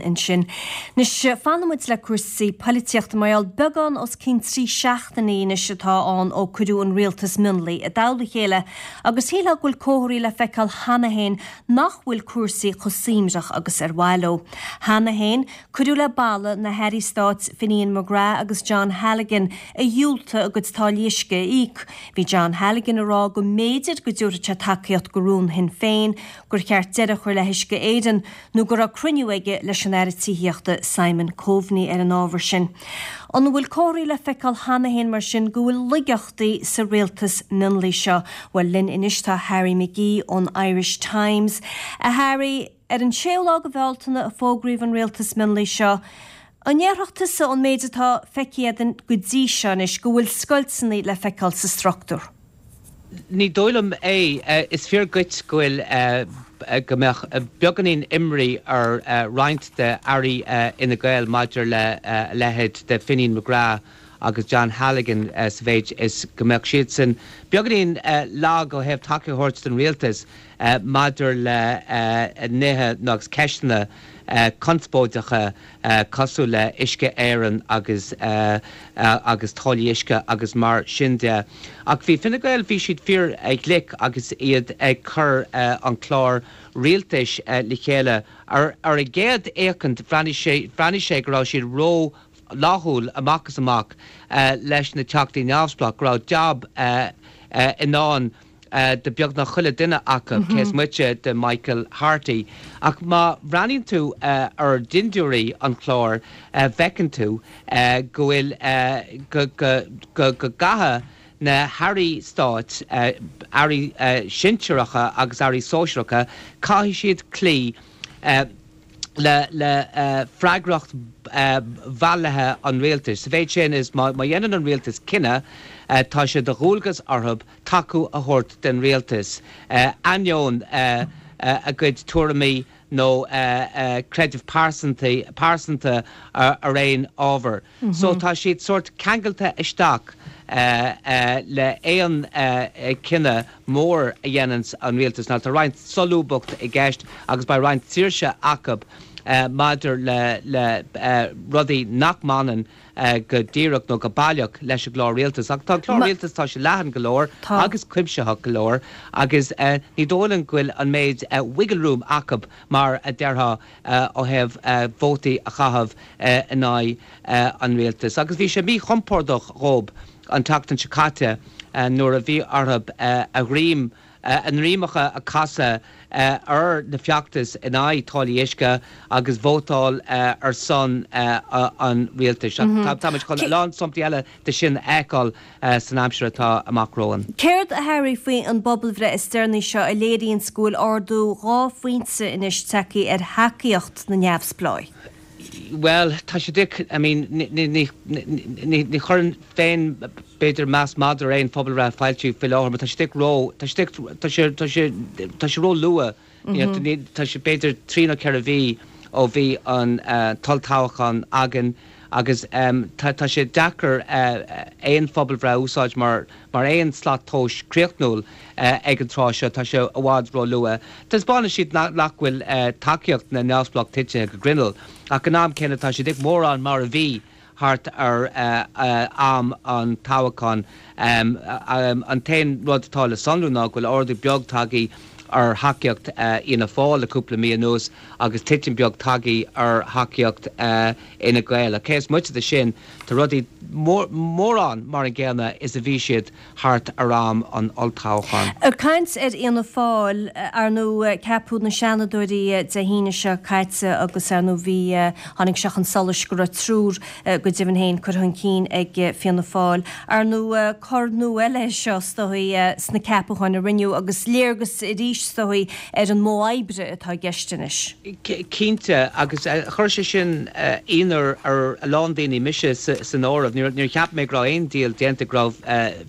Ansin. Anois, fanfaidh muid le cúrsaí poilitíochta mar gheall beagán os cionn 3 seachtainí anois atá ann ó cuireadh an rialtas mionlaigh i dtoll a chéile agus shílfeá go bhfuil comharthaí le feiceáil cheana féin nach bhfuil cúrsaí chomh suaimhneach agus ar mhaith leo. Cheana féin, cuireadh le balla na hairí stáit Finian McGrath agus John Halligan a dhiúltaigh a gcuid táillí uisce a íoc. Bhí John Halligan ag rá go mb'fhéidir go dtabharfadh sé tacaíocht do rún Shinn Féin gur cheart deireadh a chur le hUisce Éireann nó go raibh cruinniú aige leis an Aire Tithíochta Simon Coveney ar an ábhar sin. An bhfuil comharthaí le feiceáil cheana féin mar sin go bhfuil laigeachtaí sa rialtas mionlaigh seo? Bhuel, linn anois tá Harry McGee ón Irish Times. A Harry, ar an séú lá de Bhealtaine a fógraíodh an rialtas mionlaigh seo. An ndéarfadh tusa ón méid atá feicthe againn go dtí seo anois go bhfuil scoilteanna le feiceáil sa struchtúr? Ní dóigh liom é. Is fíor dhuit go bhfuil, go mbeadh beagáinín imní ar roinnt de airí Fhine Gael maidir le a leithéid de Finian McGrath agus John Halligan sa mhéid is go mbeadh siadsan beagáinín lag ó thaobh tacaíocht a thabhairt don rialtas maidir le nithe agus ceisteanna conspóideacha cosúil le Uisce Éireann agus agus táillí uisce agus mar sin de. Ach bhí Fine Gael, bhí siad fíor ghlic agus iad ag cur an clár rialtais le chéile. Ar ar an gcéad fhéachaint bhreathnaigh sé bhreathnaigh sé go raibh siad ró fhlaithiúil amach is amach leis na Teachtaí Neamhspleách, go raibh jab i ndán do beagnach chuile duine acu, cé is moite de Michael Harty. Ach má bhreathnaíonn tú ar dhintiúirí an chláir, feiceann tú go bhfuil, go, go, go gcaithfidh na hairí stáit, airí sinsearacha agus airí sóisearacha, caithfidh siad cloí le le freagracht bhailithe an rialtais. Sa mhéid sin is má dhéanann an rialtas cinneadh, tá sé de dhualgas orthu tacú a thabhairt den rialtas, ainneoin a gcuid tuairimí nó creideamh pearsanta ar aon ábhar. So tá siad sórt ceangailte isteach le aon cinneadh mór a dhéananns an rialtas. Now tá roinnt solúbthacht i gceist agus beidh roinnt saoirse acu maidir le rudaí nach mbaineann go díreach nó go baileach leis an gclár rialtais. Ach tá an clár rialtais, tá sé leathan go leor agus cuimsitheach go leor agus ní dóigh liom go bhfuil an méid wiggle room acu mar a déarfá ó thaobh vótaí a chaitheamh in aghaidh an rialtais. Agus bhí sé míchompordach dhób an tseachtain seo caite nuair a bhí orthu a dhroim a ndroimeacha a chasadh ar na feachtais in aghaidh táillí uisce agus vótáil ar son an rialtais. Táimid chun a lán samplaí eile de sin a fheiceáil san aimsir atá amach romhainn. Céard, a Harry, faoi an bpobalbhreith is deireanaí seo a léiríonns go bhfuil ardú 2 phointe anois tagtha ar thacaíocht na neamhspleách? Bhuel, tá sé dic, I mean, ní, ní, ní, ní chuirfinn féin, b'fhéidir, meas madra ar aon phobalbhreith a foilsíodh faoi láthair, mar tá sé dic ró, tá sé dic, tá sé, tá sé, tá sé ró-luath, you know, ní, tá sé b'fhéidir trí nó ceithre mhí ó bhí an t-olltoghchán againn agus tá, tá sé deacair aon phobalbhreith a úsáid mar, mar aon slat tomhais críochnúil ag an tráth seo, tá sé i bhfad ró-luath. Taispeánann siad nach bhfuil tacaíocht na neamhspleách titithe go grinneall, ach an am céanna tá siad ag mórán mar a bhí thart ar am an toghcháin. An t-aon rud atá le sonrú ná go bhfuil ardú beag tagtha ar thacaíocht Fhianna Fáil le cúpla mí anuas agus titim beag tagtha ar thacaíocht Fhine Gael. Ach cé is moite de sin, Tá rudaí mórán mar an gcéanna is a bhí siad thart ar am an olltoghcháin. Ag caint ar Fhianna Fáil, ar ndóigh ceapadh na Seanadóirí Dé hAoine seo caite agus ar ndóigh bhí, tháinig sé chun solais go raibh triúr go deimhin féin curtha chun cinn ag Fianna Fáil. Ar ndóigh cor nua eile é seo is dóigh sna ceapacháin a rinneadh agus léargas arís is dóigh ar an modh oibre atá i gceist anois. Cinnte, agus chuir sé sin ionadh ar a lán daoine, mise san áireamh. Níor cheap mé go raibh aon díol déanta, go raibh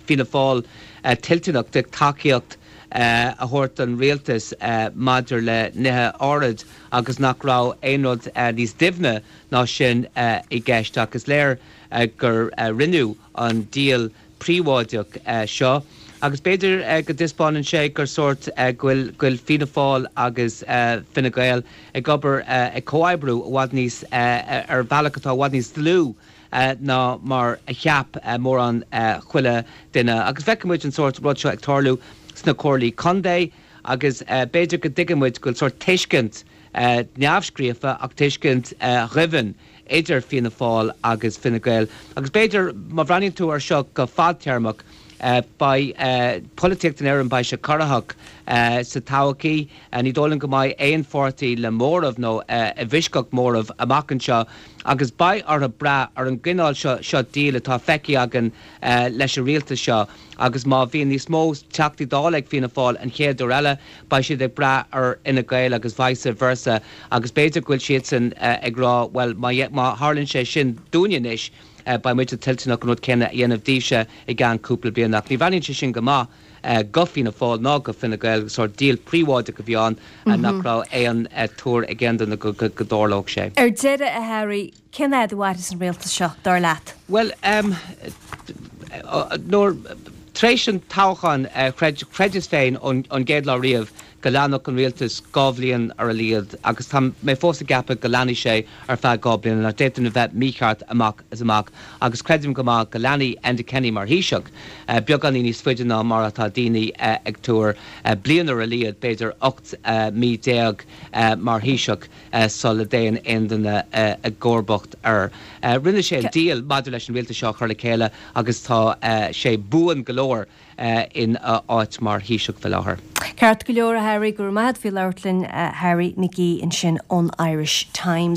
Fianna Fáil toilteanach de tacaíocht a thabhairt don rialtas maidir le nithe áirid agus nach raibh aon rud níos doimhne ná sin i gceist. Ach is léir gur rinneadh an díol príobháideach seo. Agus b'fhéidir go dtaispeánann sé gur sórt go bhfuil go bhfuil Fianna Fáil agus Fine Gael ag obair ag comhoibriú i bhfad níos ar bhealach atá i bhfad níos dlúth ná mar a cheap mórán chuile duine. Agus feicfidh muid an sórt rud seo ag tarlú sna comhairlí contae agus b'fhéidir go dtuigeann muid go bhfuil sórt tuiscint neamhscríofa ach tuiscint dhoimhin idir Fianna Fáil agus Fine Gael. Agus b'fhéidir, má bhreathnaíonn tú air seo go fadtéarmach, beidh polaitíocht in Éirinn, beidh sé corraitheach sa todhchaí. Ní dóigh liom go mbeidh aon pháirtí le móramh nó i bhfoisceacht móramh amach anseo agus beidh orthu brath ar an gcineál seo seo deal atá feicthe againn leis an rialtas seo agus má bhíonn níos mó Teachtaí Dála ag Fianna Fáil an chéad uair eile, beidh siad ag brath ar Fhine Gael agus vice versa agus b'fhéidir go bhfuil siadsan ag rá bhuel má má tharlaíonn sé sin dúinne anois beidh muide toilteanach an rud céanna a dhéanamh daoibhse i gceann cúpla bliain ach ní bhreathnaíonn sé sin go maith go Fianna Fáil ná go Fine Gael, sórt deal príobháideach a bhí ann nach raibh aon tuar ag aon duine go dtarlódh sé. Ar deireadh, a Harry, Cén fhad a mhairfeas an rialtas seo, dar leat? Bhuel, nuair, tar éis an toghcháin, chreid, chreideas féin ón gcéad lá riamh go leanfadh an rialtas 2 bhliain ar a laghad agus tá mé fós ag ceapadh go leanfaidh sé ar feadh 2 bliana, ach d'fhéadfainn a bheith mícheart amach is amach agus creidim go maith go leanfaidh Enda Kenny mar Thaoiseach beagáinín níos faide ná mar atá daoine ag tuar, bliain ar a laghad, b'fhéidir 18 mí mar Thaoiseach. sula dtéann aon duine i gcomharbacht air. Rinne sé an deal maidir leis an rialtas seo a chur le chéile agus tá sé buan go leor ina áit mar Thaoiseach faoi láthair. Ceart go leor, a Harry, go raibh maith agat faoi labhairt linn. Harry McGee ansin ón Irish Times.